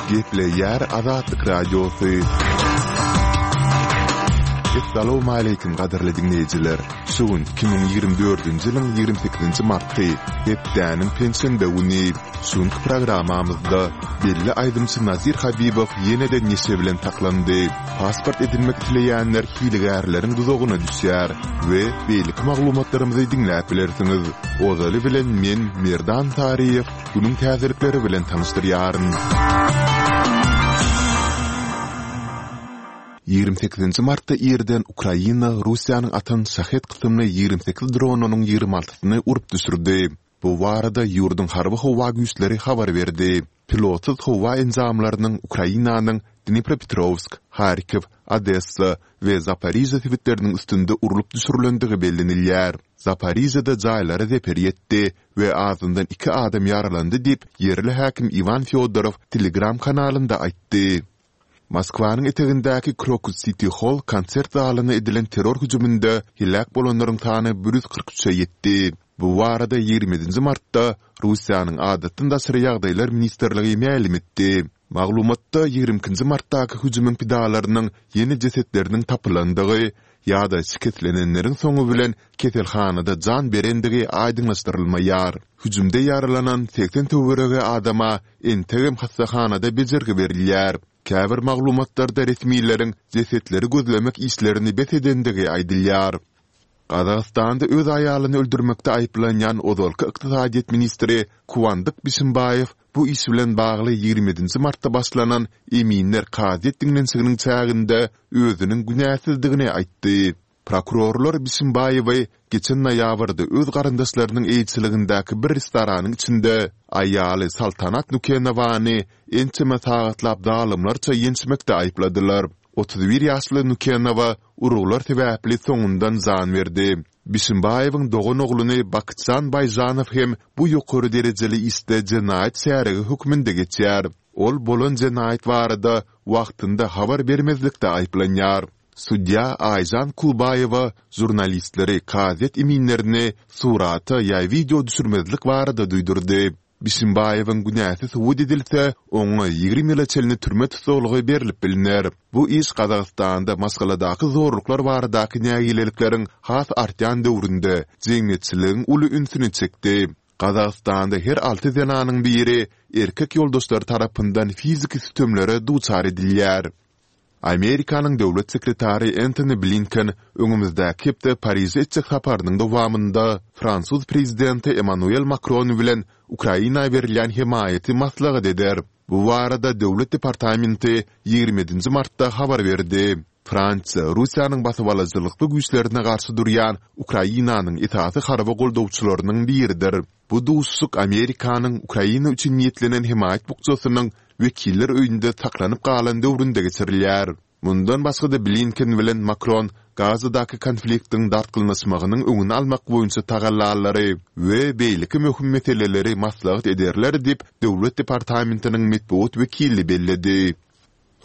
Gepleýär Azatlyk Radiosy. Essalawmaleýkim gadyrly diňleýjiler! Şu gün 2024-nji ýylyň 28-nji marty, hepdäniň penşenbe güni. Şu günki programmamyzda belli aýdymçy Nazir Habibow ýene-de neşe bilen saklandy. Pasport edinmek isleýänler hilegärleriň duzagyna düşýär we beýleki maglumatlarymyzy diňläp bilersiňiz. Ozaly bilen men Merdan Saryýew günüň täzelikleri bilen tanyşdyrýaryn. 28-nji martda irden Ukraina Russiýanyň atan Şahed kysymly 28 dronynyň 26-syny urup düşürdi. Bu barada ýurduň Harby-howa güýçleri habar berdi. Pilotsyz howa enjamlarynyň Ukrainanyň Dnipropetrowsk, Harkiw, Odessa we Zaporižýa sebitleriniň üstünde urlup düşürilendigi bellenilýär. Zaporižýada jaýlara zeper ýetdi we azyndan iki adam ýaralandy diýip, ýerli häkim Iwan Fýodorow Telegram kanalynda aýtdy. Moskwanyň etegindäki Krokus Siti Holl konsert zalyna edilen terror hüjüminde heläk bolanlaryň sany 143-e ýetdi. Bu barada 27-nji martda Russiýanyň Adatdan daşary ýagdaýlar ministrligi mälim etdi. Maglumatda 22-nji martdaky hüjümiň pidalarynyň ýene jesetleriniň tapylandygy ýa-da şikeslenenleriň soňy bilen keselhanada jan berendigi aýdyňlaşdyrylmaýar. Hüjümde ýaralanan 80 töweregi adama entegem hassahanada bejergi berilýär. Käbir maglumatlarda resmileriň jesetleri gözlemek işlerini bes edendigi aýdylýar. Gazagystanda öz aýalyny öldürmekde aýyplanýan ozalky ykdysadyýet ministri Kuandyk Bişimbaýew bu iş bilen bagly 27-nji martda başlanan eminler kazyýet diňlenişiginiň çäginde özüniň günäsizdigini aýtdy. Prokurorlar Bişimbaýewi geçen noýabrda öz garyndaşlarynyň eýeçiligindäki bir restoranyň içinde aýaly Saltanat Nukenowany ençeme sagatlap zalymlarça ýençmekde aýypladylar. 31 ýaşly Nukenowa urgular sebäpli soňundan jan berdi. Bişimbaýewiň doganogluny Bakytjan Baýžanow hem bu ýokary derejeli işde jenaýat şärigi hökmünde geçýär. Ol bolan jenaýat barada wagtynda habar bermezlikde aýyplanýar. Sudýa Aýžan Kulbaýewa žurnalistleri kazyýet eminlerini surata ýa wideo düşürmezlik barada duýdurdy. Bişimbaýewiň günäsi subut edilse, oňa 20 ýyla çenli türme tussaglygy berlip bilner. Bu iş Gazagystanda maşgaladaky zorluklar baradaky nägilelikleriň has artýan döwründe jemgyýetçiligiň uly ünsüni çekdi. Gazagystanda her alty zenanyň biri erkek ýoldaşlary tarapyndan fiziki sütemlere duçar edilýär. Amerikanyň Döwlet sekretary Entoni Blinken öňümizdäki hepde Pariže etjek saparynyň dowamynda fransuz prezidenti Emmanuel Makron bilen Ukraina berilýän hemaýaty maslahat eder. Bu barada Döwlet departamenti 27-nji martda habar berdi. Fransiýa Russiýanyň basybalyjylykly güýçlerine garşy durýan Ukrainanyň esasy harby goldawçylarynyň biridir. Bu duşuşyk Amerikanyň Ukraina üçin niýetlenen hemaýat bukjasynyň Wekiller öýünde saklanyp galan döwründe geçirilýär. Mundan başga-da Blinken bilen Makron Gazadaky konfliktiň dartgynlaşmagynyň öňüni almak boýunça tagallalary we beýleki möhüm meseleleri maslahat ederler diýip, Döwlet departamentiniň metbugat wekili belledi.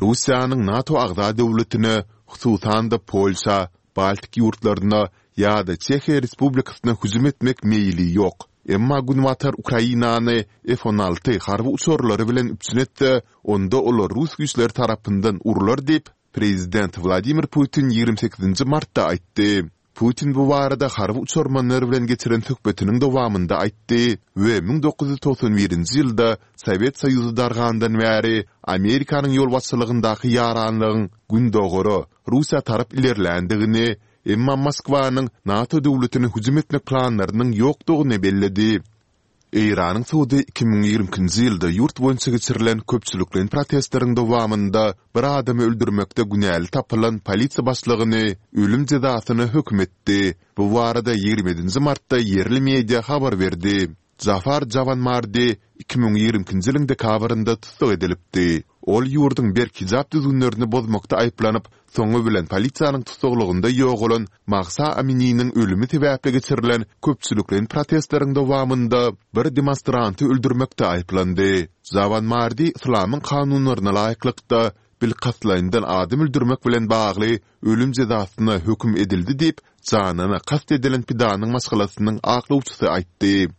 Russiýanyň NATO agza döwletine, hususan-da Polşa, Baltik ýurtlaryna ýa-da Çehiýa Respublikasyna hüjüm etmek meýli ýok. Emma Günbatar Ukrainany F-on alty harby uçarlary bilen üpjün etse, onda olar rus güýçleri tarapyndan urlar diýip, prezident Wladimir Putin 28-nji martda aýtdy. Putin bu barada harby uçarmanlar bilen geçiren söhbetiniň dowamynda aýtdy we 1991-nji ýylda Sowet Soýuzy dargandan bäri Amerikanyň ýolbaşçylygyndaky ýaranlygyň Gündogara, Russiýa tarap ilerländigini, emma Moskwanyň NATO döwletine hüjüm etmek planlarynyň ýokdugyny belledi. Eýranyň sudy 2022-nji ýylda ýurt boýunça geçirilen köpçülikleýin protestleriň dowamynda bir adamy öldürmekde günäli tapylan polisiýa başlygyny ölüm jezasyna höküm etdi. Bu barada 27-nji martda ýerli media habar berdi. Jafar Jawanmardi 2022-nji ýylyň dekabrynda tussag edilipdi. Ol ýurduň berk hijap düzgünlerini bozmakda aýyplanyp, soňy bilen polisiýanyň tussaglygynda ýogalan Mahsa Amininiň ölümi sebäpli geçirilen köpçülikleýin protestleriň dowamynda bir demonstranty öldürmekde aýyplandy. Jawanmardi yslamyň kanunlaryna laýyklykda, bilkastlaýyndan adam öldürmek bilen bagly ölüm jezasyna höküm edildi diýip, janyna kast edilen pidanyň maşgalasynyň aklawçysy aýtdy.